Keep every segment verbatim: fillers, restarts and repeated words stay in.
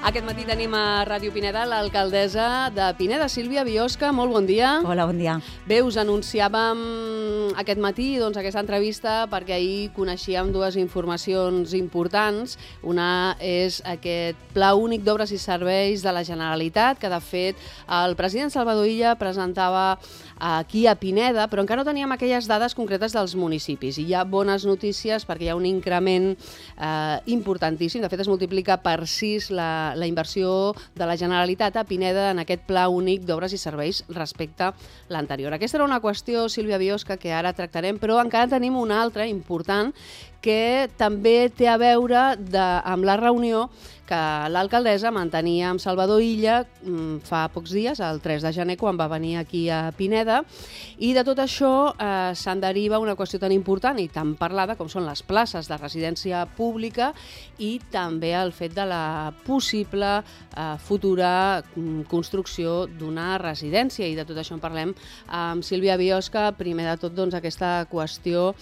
Aquest matí tenim a Ràdio Pineda l'alcaldessa de Pineda, Sílvia Biosca. Molt bon dia. Hola, bon dia. Bé, us anunciàvem aquest matí doncs, aquesta entrevista perquè ahir coneixíem dues informacions importants. Una és aquest Pla Únic d'Obres i Serveis de la Generalitat, que de fet el president Salvador Illa presentava aquí a Pineda, però encara no teníem aquelles dades concretes dels municipis. I hi ha bones notícies perquè hi ha un increment eh, importantíssim. De fet, es multiplica per sis la, la inversió de la Generalitat a Pineda en aquest Pla Únic d'Obres i Serveis respecte a l'anterior. Aquesta era una qüestió, Sílvia Biosca, que ara tractarem, però encara tenim una altra important que també té a veure de, amb la reunió que l'alcaldessa mantenia amb Salvador Illa fa pocs dies, el tres de gener, quan va venir aquí a Pineda, i de tot això eh, se'n deriva una qüestió tan important i tan parlada com són les places de residència pública i també el fet de la possible eh, futura construcció d'una residència, i de tot això en parlem amb Sílvia Biosca. Primer de tot, doncs, aquesta qüestió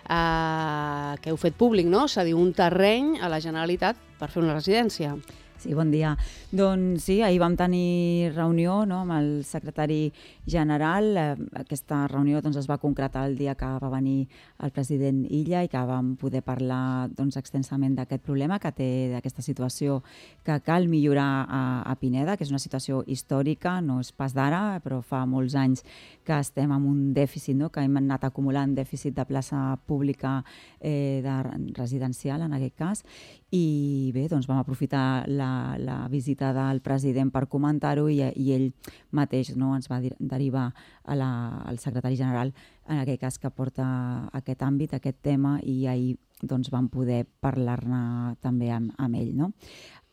eh, que heu fet públic, no? Cedir un terreny a la Generalitat per fer una residència. Sí, bon dia. Doncs sí, ahir vam tenir reunió, no, amb el secretari general. Aquesta reunió doncs, es va concretar el dia que va venir el president Illa i que vam poder parlar doncs, extensament d'aquest problema que té, d'aquesta situació que cal millorar a, a Pineda, que és una situació històrica, no és pas d'ara, però fa molts anys que estem amb un dèficit, no, que hem anat acumulant dèficit de plaça pública eh, de residencial, en aquest cas, i bé, doncs vam aprofitar la, la visita del president per comentar-ho i, i ell mateix, no, ens va derivar a la, al secretari general, en aquest cas que porta aquest àmbit, aquest tema, i ahir doncs, vam poder parlar-ne també amb, amb ell. No?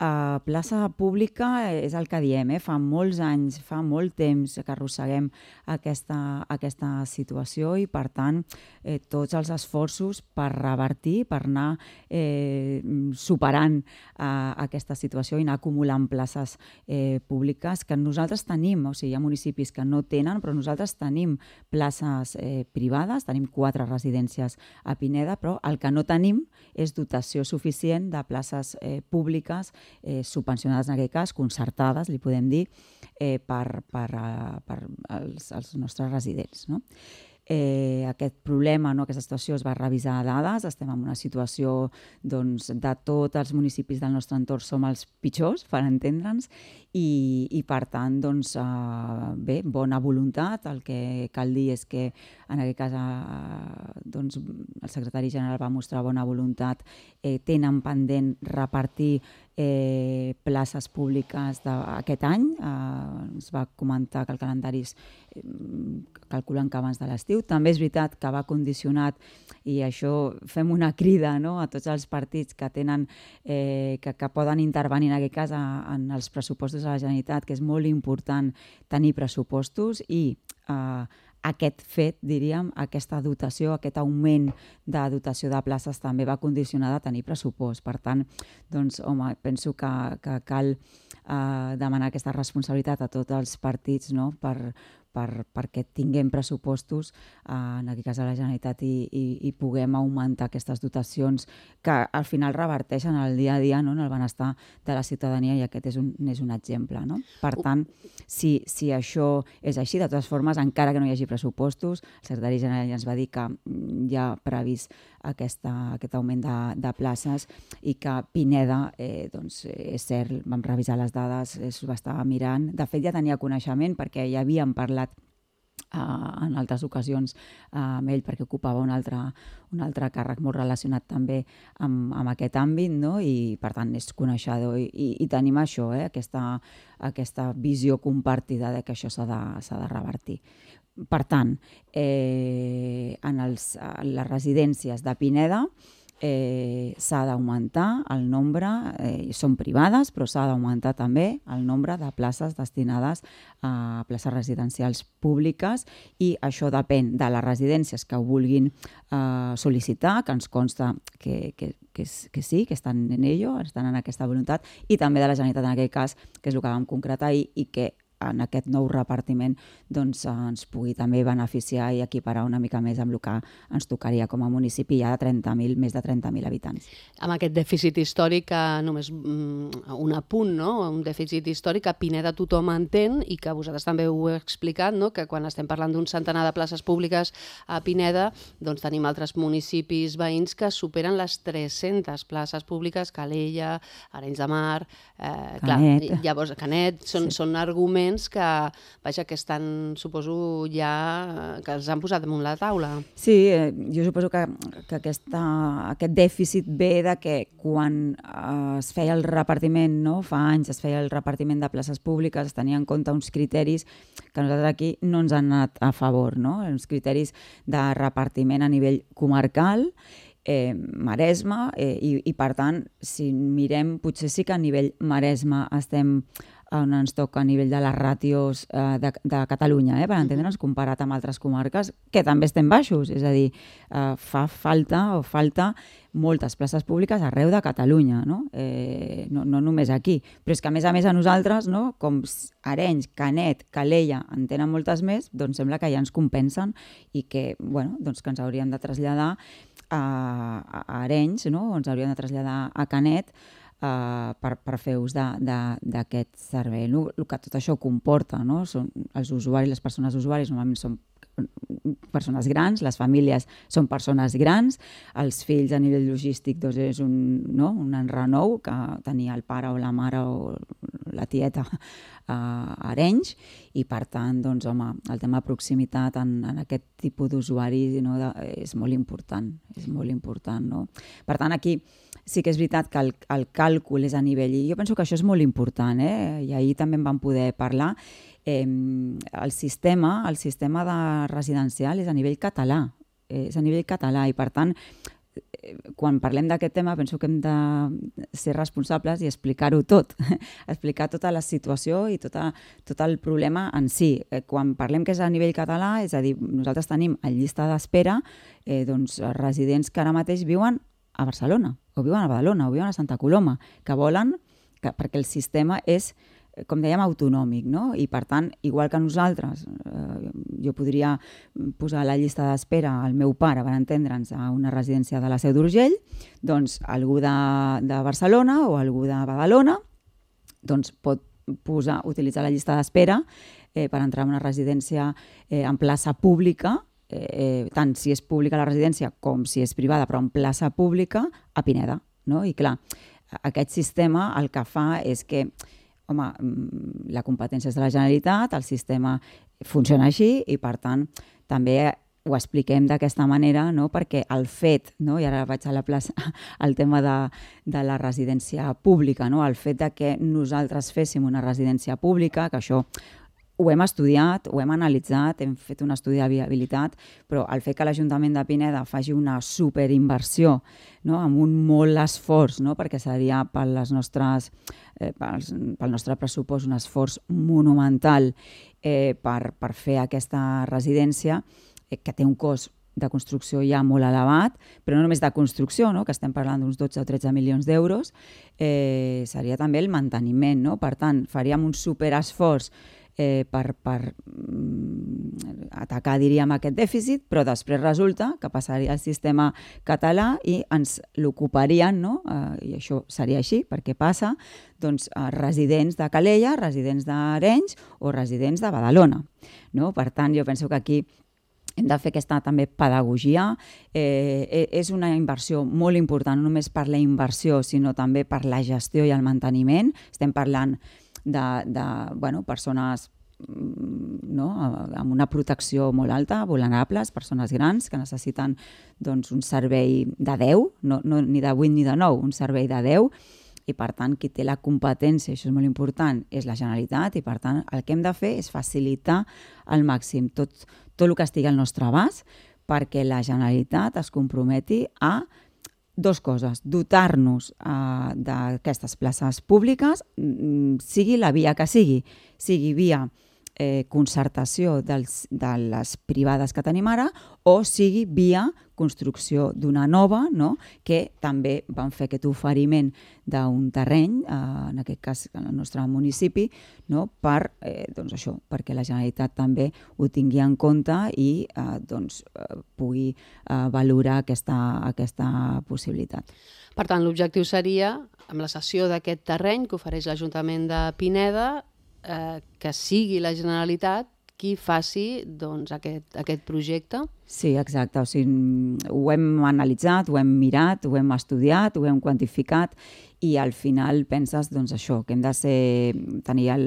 Uh, plaça pública és el que diem, eh? Fa molts anys, fa molt temps que arrosseguem aquesta, aquesta situació i, per tant, eh, tots els esforços per revertir, per anar eh, superant uh, aquesta situació i anar acumulant places eh, públiques que nosaltres tenim. O sigui, hi ha municipis que no tenen, però nosaltres tenim places eh, privades, tenim quatre residències a Pineda, però el que no tenim és dotació suficient de places eh, públiques Eh, subvencionades, en aquest cas, concertades, li podem dir, eh, per, per, uh, per als, als nostres residents. No? Eh, aquest problema, no, aquesta situació es va revisar a dades, estem en una situació doncs, de tots els municipis del nostre entorn som els pitjors, per entendre'ns, i, i per tant, doncs, eh, bé, bona voluntat. El que cal dir és que en aquest cas eh, doncs, el secretari general va mostrar bona voluntat, eh, tenen pendent repartir eh, places públiques d'aquest any. Eh, ens va comentar que el calendari és eh, calculant que abans de l'estiu. També és veritat que va condicionat, i això fem una crida, no, a tots els partits que tenen eh, que, que poden intervenir en aquest cas a, en els pressupostos de la Generalitat, que és molt important tenir pressupostos, i eh, aquest fet, diríem, aquesta dotació, aquest augment de dotació de places també va condicionar de tenir pressupost. Per tant, doncs, home, penso que, que cal eh, demanar aquesta responsabilitat a tots els partits, no?, per, per, perquè tinguem pressupostos, eh, en aquest cas a la Generalitat, i, i, i puguem augmentar aquestes dotacions que al final reverteixen el dia a dia, no?, en el benestar de la ciutadania, i aquest és un, és un exemple. No? Per tant, si, si això és així, de totes formes, encara que no hi hagi pressupostos, el secretari general ja ens va dir que hi ha previst aquesta, aquest augment de, de places, i que Pineda, eh, doncs, és cert, vam revisar les dades, es va estar mirant. De fet, ja tenia coneixement perquè ja havíem parlat Uh, en altres ocasions uh, amb ell, perquè ocupava un altre, un altre càrrec molt relacionat també amb, amb aquest àmbit, no? I per tant és coneixedor, i, i, i tenim això, eh? aquesta, aquesta visió compartida de que això s'ha de, s'ha de revertir. Per tant, eh, en, els, en les residències de Pineda Eh, s'ha d'augmentar el nombre, eh, són privades, però s'ha d'augmentar també el nombre de places destinades a places residencials públiques, i això depèn de les residències que ho vulguin eh, sol·licitar, que ens consta que, que, que, que sí, que estan en ello, estan en aquesta voluntat, i també de la Generalitat en aquest cas, que és el que vam concretar, i, i que en aquest nou repartiment doncs, ens pugui també beneficiar i equiparar una mica més amb el que ens tocaria com a municipi ja de trenta mil, més de trenta mil habitants. Amb aquest dèficit històric, que només mm, un apunt, no? Un dèficit històric que a Pineda tothom entén i que vosaltres també ho heu explicat, no? Que quan estem parlant d'un centenar de places públiques a Pineda, doncs tenim altres municipis veïns que superen les tres-centes places públiques, Calella, Arenys de Mar, eh, Canet. Clar, llavors Canet, són, Sí. són arguments que, vaja, que estan, suposo, ja que els han posat damunt la taula. Sí, eh, jo suposo que, que aquesta, aquest dèficit ve de que quan eh, es feia el repartiment, no? Fa anys es feia el repartiment de places públiques, es tenia en compte uns criteris que nosaltres aquí no ens han anat a favor, no? Uns criteris de repartiment a nivell comarcal, eh, Maresme, eh, i, i per tant, si mirem, potser sí que a nivell Maresme estem on ens toca a nivell de les ràtios eh, de, de Catalunya, eh, per entendre'ns, comparat amb altres comarques, que també estem baixos, és a dir, eh, fa falta o falta moltes places públiques arreu de Catalunya, no? Eh, no, no només aquí, però és que a més a més a nosaltres, no? Com Arenys, Canet, Calella en tenen moltes més, doncs sembla que ja ens compensen i que, bueno, doncs que ens hauríem de traslladar a, a Arenys, no? O ens hauríem de traslladar a Canet, Uh, per, per fer ús d'aquest servei. El, el que tot això comporta, no? Són els usuaris, les persones usuaris normalment són persones grans, les famílies són persones grans, els fills a nivell logístic doncs és un, no? un enrenou que tenia el pare o la mare o la tieta a Arenys i per tant, doncs, home, el tema de proximitat en, en aquest tipus d'usuari, no? de, és molt important, és molt important, no? Per tant, aquí sí que és veritat que el, el càlcul és a nivell, i jo penso que això és molt important, eh? I ahir també en vam poder parlar, eh, el sistema, el sistema de residencial és a nivell català, eh, és a nivell català i per tant, eh, quan parlem d'aquest tema penso que hem de ser responsables i explicar-ho tot, explicar tota la situació i tota, tot el problema en si. Eh, quan parlem que és a nivell català, és a dir, nosaltres tenim en llista d'espera eh, doncs, residents que ara mateix viuen a Barcelona, o viuen a Badalona, o viuen a Santa Coloma, que volen, que, perquè el sistema és, com dèiem, autonòmic, no? I per tant, igual que nosaltres, eh, jo podria posar a la llista d'espera al meu pare, per entendre'ns, a una residència de la Seu d'Urgell, doncs algú de, de Barcelona o algú de Badalona doncs pot posar, utilitzar la llista d'espera eh, per entrar en una residència eh, en plaça pública, Eh, tant si és pública la residència com si és privada, però en plaça pública, a Pineda, no? I clar, aquest sistema el que fa és que, home, la competència és de la Generalitat, el sistema funciona així i, per tant, també ho expliquem d'aquesta manera, no? Perquè el fet, no? I ara vaig a la plaça, el tema de, de la residència pública, no? El fet de que nosaltres féssim una residència pública, que això ho hem estudiat, ho hem analitzat, hem fet un estudi de viabilitat, però el fet que l'Ajuntament de Pineda faci una superinversió, no? Amb un molt esforç, no? Perquè seria pel, les nostres, eh, pels, pel nostre pressupost un esforç monumental eh, per, per fer aquesta residència, eh, que té un cost de construcció ja molt elevat, però no només de construcció, no? Que estem parlant d'uns dotze o tretze milions d'euros, eh, seria també el manteniment, no? Per tant, faríem un superesforç Eh, per, per mm, atacar, diríem, aquest dèficit, però després resulta que passaria al sistema català i ens l'ocuparien, no? Eh, i això seria així, perquè passa, doncs, a residents de Calella, residents d'Arenys o residents de Badalona, no? Per tant, jo penso que aquí hem de fer aquesta també pedagogia. Eh, és una inversió molt important, no només per la inversió, sinó també per la gestió i el manteniment. Estem parlant de, de bueno, persones, no? Amb una protecció molt alta, vulnerables, persones grans que necessiten, doncs, un servei de deu, no, no, ni de vuit ni de nou, un servei de deu, i per tant qui té la competència, això és molt important, és la Generalitat, i per tant el que hem de fer és facilitar al màxim tot, tot el que estigui al nostre abast perquè la Generalitat es comprometi a dos coses, dotar-nos uh, d'aquestes places públiques, sigui la via que sigui, sigui via eh, concertació dels, de les privades que tenim ara, o sigui via construcció d'una nova, no? Que també van fer aquest oferiment d'un terreny, eh, en aquest cas en el nostre municipi, no? per, eh, doncs això, perquè la Generalitat també ho tingui en compte i eh, doncs, eh, pugui eh, valorar aquesta, aquesta possibilitat. Per tant, l'objectiu seria, amb la cessió d'aquest terreny que ofereix l'Ajuntament de Pineda, eh, que sigui la Generalitat qui faci doncs, aquest, aquest projecte? Sí, exacte. O sigui, ho hem analitzat, ho hem mirat, ho hem estudiat, ho hem quantificat i al final penses doncs, això, que hem de ser, tenir el,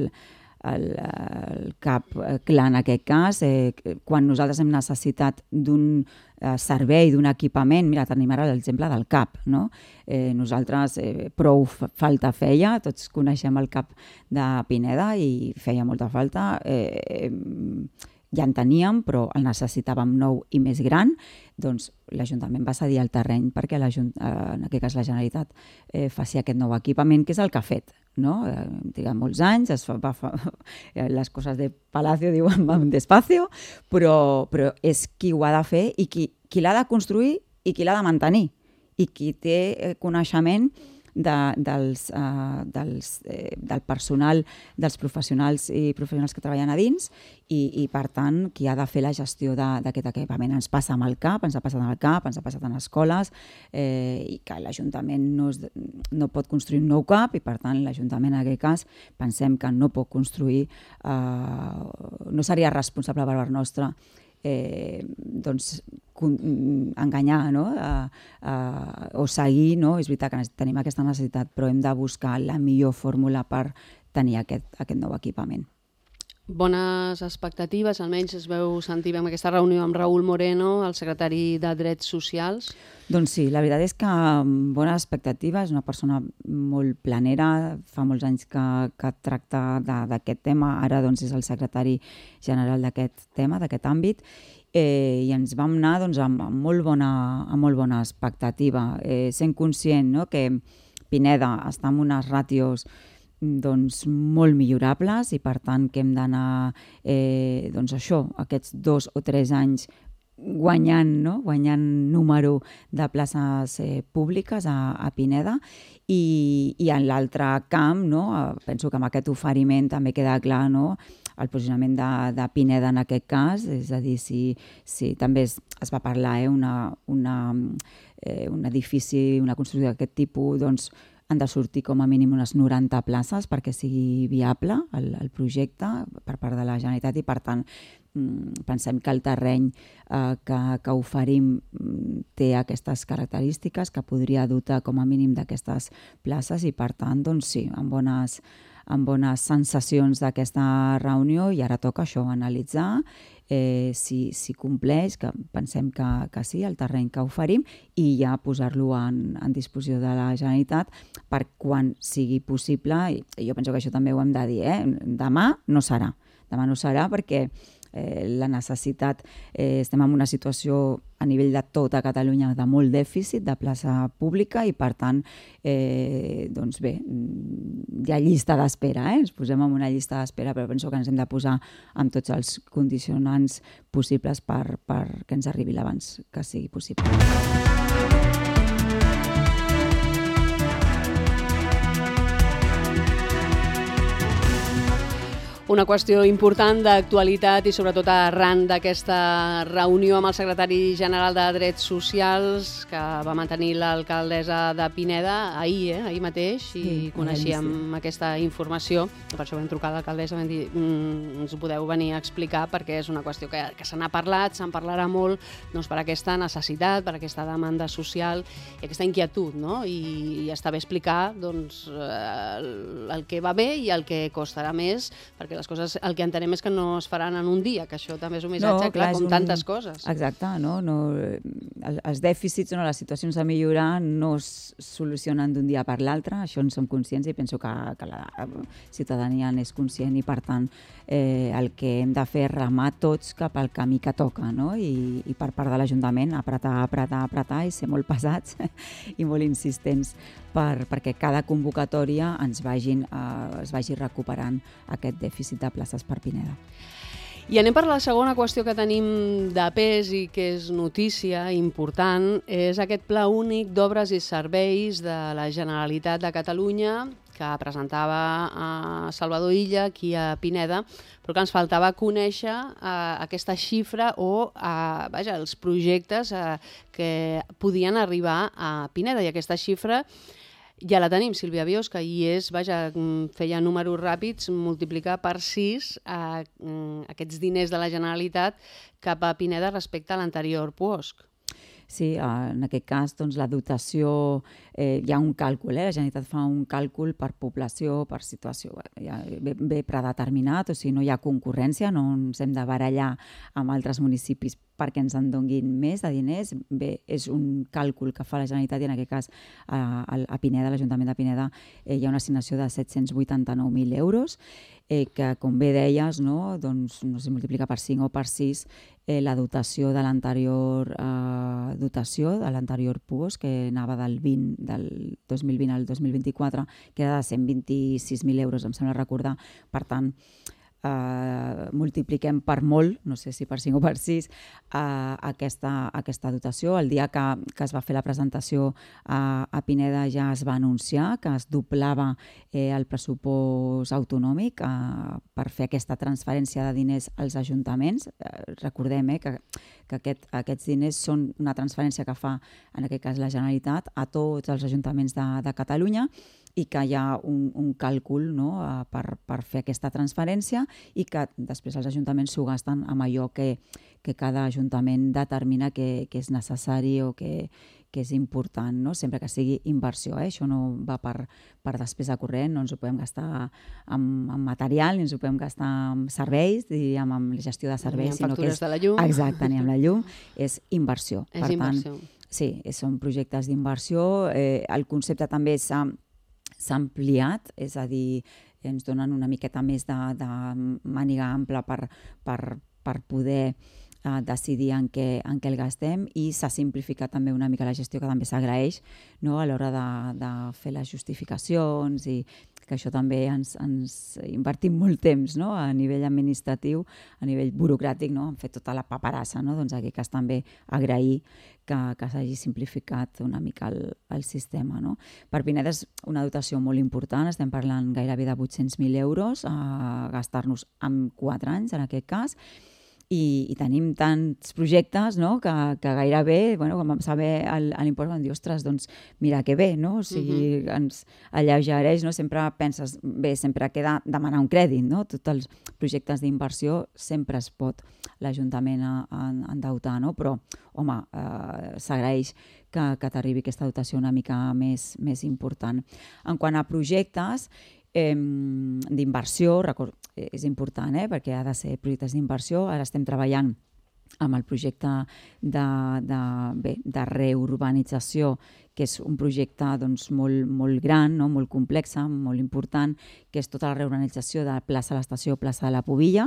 el, el cap clar en aquest cas. Eh, quan nosaltres hem necessitat d'un eh, servei, d'un equipament, mira, tenim ara l'exemple del C A P, no? Eh, nosaltres eh, prou falta feia, tots coneixem el C A P de Pineda i feia molta falta. Eh, ja en teníem, però el necessitàvem nou i més gran, doncs l'Ajuntament va cedir el terreny perquè en aquest cas la Generalitat eh, faci aquest nou equipament, que és el que ha fet. No? Eh, trigat molts anys, es fa, va, fa, les coses de Palacio diuen van despacio, però, però és qui ho ha de fer i qui, qui l'ha de construir i qui l'ha de mantenir i qui té coneixement de, dels, uh, dels, eh, del personal, dels professionals i professionals que treballen a dins i, i per tant, qui ha de fer la gestió d'aquest equipament. Ens passa amb el C A P, ens ha passat amb el C A P, ens ha passat en escoles eh, i que l'Ajuntament no, es, no pot construir un nou C A P i per tant l'Ajuntament en aquest cas pensem que no pot construir, eh, no seria responsable per part nostra Eh, doncs, enganyar, no? uh, uh, o seguir, no? És veritat que tenim aquesta necessitat, però hem de buscar la millor fórmula per tenir aquest, aquest nou equipament. Bones expectatives, almenys es veu sentir en aquesta reunió amb Raül Moreno, el secretari de Drets Socials? Doncs sí, la veritat és que bones expectatives, una persona molt planera, fa molts anys que, que tracta d'aquest tema, ara doncs, és el secretari general d'aquest tema, d'aquest àmbit, eh, i ens vam anar doncs, amb, amb, molt bona, amb molt bona expectativa, eh, sent conscient, no?, que Pineda està en unes ràtios doncs, molt millorables i per tant que hem d'anar eh, doncs això, aquests dos o tres anys guanyant, no? guanyant número de places eh, públiques a, a Pineda i, i en l'altre camp, no? Penso que amb aquest oferiment també queda clar, no? El posicionament de, de Pineda en aquest cas, és a dir, si, si també es, es va parlar eh, una, una, eh, un edifici, una construcció d'aquest tipus, doncs han de sortir com a mínim unes noranta places perquè sigui viable el, el projecte per part de la Generalitat i per tant pensem que el terreny eh, que, que oferim té aquestes característiques que podria dotar com a mínim d'aquestes places i per tant doncs sí, amb bones, amb bones sensacions d'aquesta reunió i ara toca això, analitzar eh, si, si compleix, que pensem que, que sí, el terreny que oferim i ja posar-lo en, en disposició de la Generalitat per quan sigui possible i, i jo penso que això també ho hem de dir, eh? Demà no serà, demà no serà perquè Eh, la necessitat, eh, estem en una situació a nivell de tota Catalunya de molt dèficit de plaça pública i per tant, eh, doncs bé, hi ha llista d'espera, eh? Ens posem en una llista d'espera, però penso que ens hem de posar amb tots els condicionants possibles per, per que ens arribi l'abans que sigui possible. Una qüestió important d'actualitat i sobretot arran d'aquesta reunió amb el secretari general de Drets Socials que va mantenir l'alcaldessa de Pineda ahir, eh? ahir mateix, i sí, coneixíem sí. aquesta informació. Per això vam trucar a l'alcaldessa i vam dir mm, ens ho podeu venir a explicar perquè és una qüestió que, que se n'ha parlat, se'n parlarà molt doncs, per aquesta necessitat, per aquesta demanda social i aquesta inquietud, no? I, i està bé explicar doncs, el, el que va bé i el que costarà més, perquè les coses, el que entenem és que no es faran en un dia, que això també és un missatge, no, clar, clar com un... tantes coses. Exacte, no? no els dèficits o no, les situacions a millorar no es solucionen d'un dia per l'altre, això en som conscients i penso que, que la ciutadania n'és conscient i per tant eh, el que hem de fer és remar tots cap al camí que toca, no? I, i per part de l'Ajuntament apretar, apretar, apretar i ser molt pesats i molt insistents per, perquè cada convocatòria ens vagin, eh, es vagi recuperant aquest dèficit de places per Pineda. I anem per la segona qüestió que tenim de pes i que és notícia important, és aquest Pla Únic d'Obres i Serveis de la Generalitat de Catalunya que presentava a Salvador Illa, aquí a Pineda, però que ens faltava conèixer eh, aquesta xifra o eh, vaja, els projectes eh, que podien arribar a Pineda. I aquesta xifra ja la tenim, Sílvia Biosca, i és, vaja, feia números ràpids, multiplicar per sis eh, aquests diners de la Generalitat cap a Pineda respecte a l'anterior puosc. Sí, en aquest cas doncs, la dotació, eh, hi ha un càlcul, eh? La Generalitat fa un càlcul per població, per situació, ja bé, bé predeterminat, o sigui, no hi ha concurrència, no ens hem de barallar amb altres municipis perquè ens en donguin més de diners. Bé, és un càlcul que fa la Generalitat i en aquest cas a, a Pineda, l'Ajuntament de Pineda, eh, hi ha una assignació de set-cents vuitanta-nou mil euros, eh, que com bé deies, no, doncs, no sé, multiplica per cinc o per sis eh, la dotació de l'anterior eh, dotació, de l'anterior puosc, que anava del, vint, del dos mil vint al dos mil vint-i-quatre, que era de cent vint-i-sis mil euros, em sembla recordar. Per tant, Uh, multipliquem per molt, no sé si per cinc o per sis, uh, aquesta, aquesta dotació. El dia que, que es va fer la presentació uh, a Pineda ja es va anunciar que es doblava eh, el pressupost autonòmic uh, per fer aquesta transferència de diners als ajuntaments. Uh, recordem eh, que, que aquest, aquests diners són una transferència que fa, en aquest cas la Generalitat, a tots els ajuntaments de, de Catalunya, i que hi ha un, un càlcul, no, per, per fer aquesta transferència i que després els ajuntaments s'ho gasten amb allò que, que cada ajuntament determina que, que és necessari o que, que és important, no? Sempre que sigui inversió. Eh? Això no va per, per despesa corrent, no ens ho podem gastar amb, amb material, ni ens ho podem gastar amb serveis, diríem, amb la gestió de serveis. Ni amb factures sinó que és, de la llum. Exacte, ni amb la llum. És inversió. És per inversió. Tant, sí, són projectes d'inversió. Eh, el concepte també s'ha s'ha ampliat, és a dir, ens donen una miqueta més de, de màniga ampla per, per, per poder eh, decidir en què, en què el gastem, i s'ha simplificat també una mica la gestió, que també s'agraeix, no?, a l'hora de, de fer les justificacions, i que això també ens, ens invertim molt temps, no?, a nivell administratiu, a nivell burocràtic, no?, hem fet tota la paperassa, no?, doncs aquí que és també agrair que, que s'hagi simplificat una mica el, el sistema, no? Per Pineda és una dotació molt important, estem parlant gairebé de vuit-cents mil euros a gastar-nos en quatre anys, en aquest cas, i, i tenim tants projectes, no?, que, que gairebé, bueno, quan vam saber l'impost vam dir, ostres, doncs mira que bé, no? O sigui, uh-huh. ens alleugereix, no? Sempre penses, bé, sempre queda demanar un crèdit, no? Tots els projectes d'inversió sempre es pot l'Ajuntament a, a endeutar, no? Però, home, eh, s'agraeix que, que t'arribi aquesta dotació una mica més, més important. En quant a projectes eh, d'inversió, record, és important, eh, perquè ha de ser projectes d'inversió. Ara estem treballant amb el projecte de, de, bé, de reurbanització, que és un projecte doncs, molt, molt gran, no? Molt complex, molt important, que és tota la reurbanització de plaça de l'Estació, plaça de la Pobilla,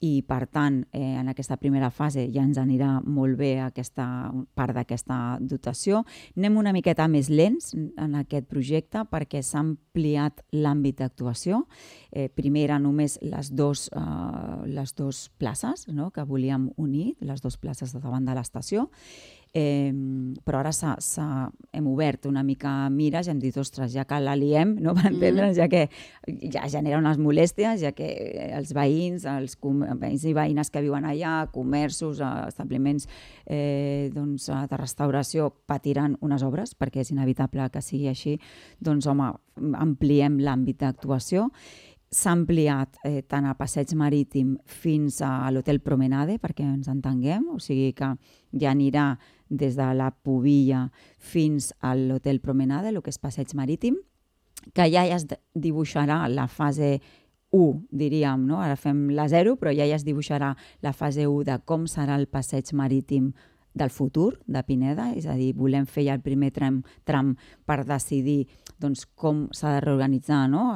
i per tant, eh, en aquesta primera fase ja ens anirà molt bé aquesta part d'aquesta dotació. Anem una miqueta més lents en aquest projecte perquè s'ha ampliat l'àmbit d'actuació. Eh, primer eren només les dues eh, les dos places, no?, que volíem unir, les dues places de davant de l'estació. Eh, però ara s'ha, s'ha, hem obert una mica mires i hem dit, ostres, ja que la liem, no?, per entendre'ns, ja que ja genera unes molèsties, ja que els veïns, els veïns i veïnes que viuen allà, comerços, establiments eh, doncs, de restauració patiran unes obres, perquè és inevitable que sigui així, doncs home, ampliem l'àmbit d'actuació. S'ha ampliat eh, tant a Passeig Marítim fins a l'Hotel Promenade, perquè ens entenguem, o sigui que ja anirà des de la Pobilla fins a l'Hotel Promenade, el que és Passeig Marítim, que ja es dibuixarà la fase u, diríem, no? Ara fem la zero, però ja ja es dibuixarà la fase u de com serà el passeig marítim del futur de Pineda, és a dir, volem fer ja el primer tram, tram per decidir doncs, com s'ha de reorganitzar, no?,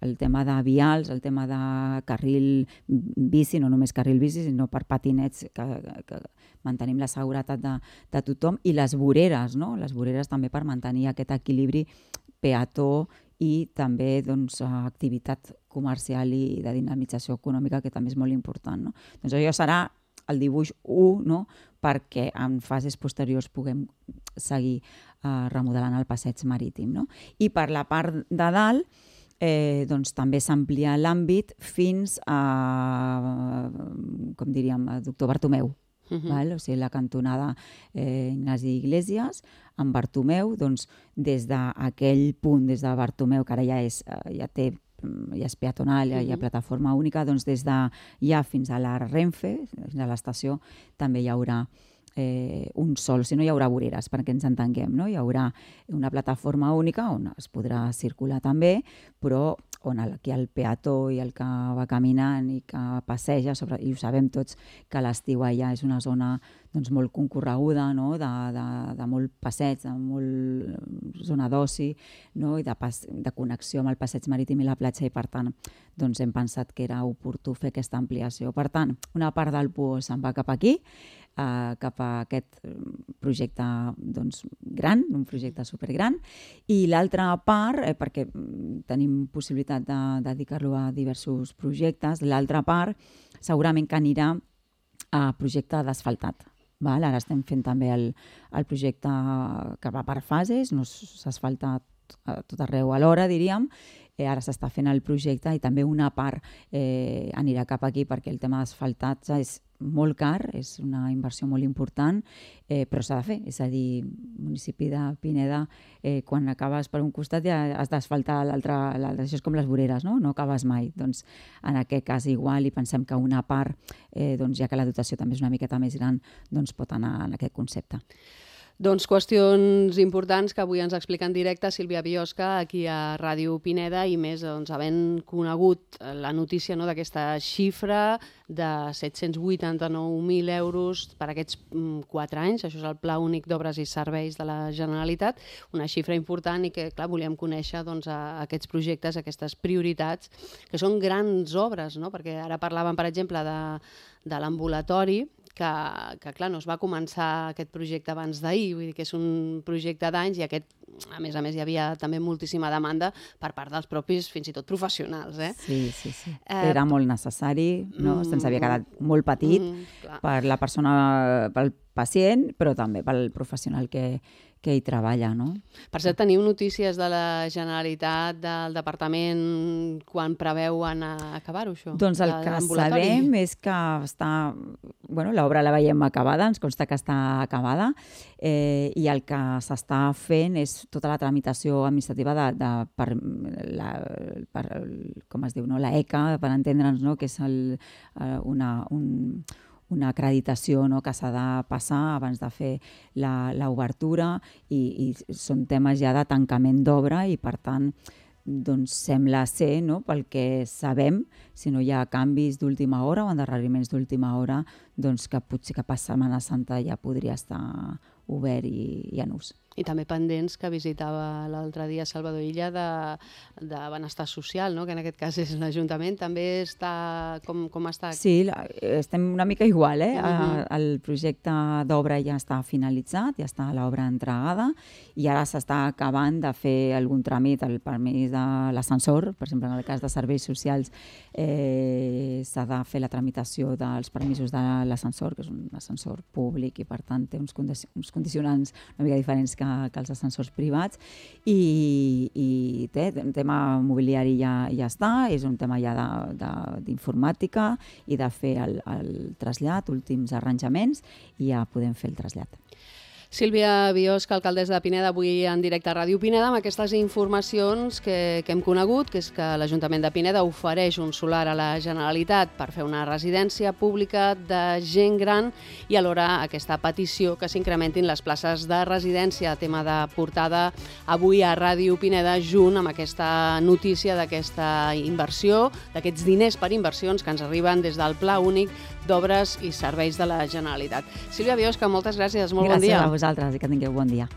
el tema de vials, el tema de carril bici, no només carril bici, sinó per patinets, que, que mantenim la seguretat de, de tothom, i les voreres, no? Les voreres també per mantenir aquest equilibri peató i també doncs, activitat comercial i de dinamització econòmica, que també és molt important. No? Doncs això serà el dibuix u, no? Perquè en fases posteriors puguem seguir eh, remodelant el passeig marítim. No? I per la part de dalt, eh, doncs, també s'amplia l'àmbit fins a, com diríem, a Doctor Bartomeu. Uh-huh. Val? O sigui, la cantonada eh, Ignasi Iglesias amb Bartomeu, doncs, des d'aquell punt, des de Bartomeu, que ara ja, és, ja té ja és peatonal, ja hi ha plataforma única, doncs des de ja fins a la Renfe, fins a l'estació, també hi haurà eh, un sol, si no hi haurà voreres, perquè ens entenguem, no? Hi haurà una plataforma única on es podrà circular també, però on el, aquí el peató i el que va caminant i que passeja, sobre, i ho sabem tots, que l'estiu allà és una zona doncs, molt concorreguda, no? de, de, de molt passeig, de molt zona d'oci, no? I de, pas, de connexió amb el passeig marítim i la platja, i per tant doncs, hem pensat que era oportú fer aquesta ampliació. Per tant, una part del P U O se'n va cap aquí, eh, cap a aquest projecte doncs, gran, un projecte supergran, i l'altra part, eh, perquè tenim possibilitat de, de dedicar-lo a diversos projectes, l'altra part segurament que anirà a projecte d'asfaltat. Val? Ara estem fent també el, el projecte que va per fases, no s'asfalta a tot arreu alhora, diríem. Eh, ara s'està fent el projecte i també una part eh, anirà cap aquí, perquè el tema d'asfaltatge és molt car, és una inversió molt important, eh, però s'ha de fer. És a dir, municipi de Pineda, eh, quan acabes per un costat ja has d'asfaltar l'altre. Això és com les voreres, no? No acabes mai. Doncs en aquest cas igual, i pensem que una part, eh, doncs, ja que la dotació també és una miqueta més gran, doncs pot anar en aquest concepte. Doncs qüestions importants que avui ens explica en directe Sílvia Biosca aquí a Ràdio Pineda, i més doncs, havent conegut la notícia, no, d'aquesta xifra de set-cents vuitanta-nou mil euros per aquests quatre anys. Això és el Pla Únic d'Obres i Serveis de la Generalitat, una xifra important, i que clar, volíem conèixer doncs, a aquests projectes, aquestes prioritats, que són grans obres, no? Perquè ara parlàvem, per exemple, de, de l'ambulatori, que, que clar, no es va començar aquest projecte abans d'ahir, vull dir que és un projecte d'anys, i aquest, a més a més, hi havia també moltíssima demanda per part dels propis, fins i tot professionals. Eh? Sí, sí, sí. Eh, Era molt necessari, no? Mm, Se'ns havia quedat molt petit mm, per la persona, pel pacient, però també pel professional que, que hi treballa, no? Per cert, teniu notícies de la Generalitat, del Departament, quan preveuen acabar-ho, això? Doncs el que sabem és que està... Bueno, l'obra la veiem acabada, ens consta que està acabada, eh, i el que s'està fent és tota la tramitació administrativa de, de, per, la, per, com es diu, no? La E C A, per entendre'ns, no? Que és el, una... Un, una acreditació, no, que s'ha de passar abans de fer l'obertura, i, i són temes ja de tancament d'obra, i per tant doncs sembla ser, no, pel que sabem, si no hi ha canvis d'última hora o endarreriments d'última hora, doncs que potser que per Setmana Santa ja podria estar obert i, i en ús. I també pendents, que visitava l'altre dia Salvador Illa, de, de benestar social, no? Que en aquest cas és l'Ajuntament. També està... Com, com està? Sí, la, estem una mica igual. Eh? Uh-huh. El projecte d'obra ja està finalitzat, ja està l'obra entregada, i ara s'està acabant de fer algun tràmit, el permís de l'ascensor. Per exemple, en el cas de serveis socials, eh, s'ha de fer la tramitació dels permisos de l'ascensor, que és un ascensor públic, i per tant té uns, condi uns condicionants una mica diferents que que els ascensors privats, i, i té, el tema mobiliari ja, ja està, és un tema ja d'informàtica i de fer el, el trasllat, últims arranjaments, i ja podem fer el trasllat. Sílvia Biosca, alcaldessa de Pineda, avui en directe a Ràdio Pineda, amb aquestes informacions que, que hem conegut, que és que l'Ajuntament de Pineda ofereix un solar a la Generalitat per fer una residència pública de gent gran, i alhora aquesta petició que s'incrementin les places de residència, tema de portada avui a Ràdio Pineda, junt amb aquesta notícia d'aquesta inversió, d'aquests diners per inversions que ens arriben des del Pla Únic d'Obres i Serveis de la Generalitat. Sílvia Biosca, moltes gràcies, molt bon dia. Gràcies a vosaltres i que tingueu bon dia.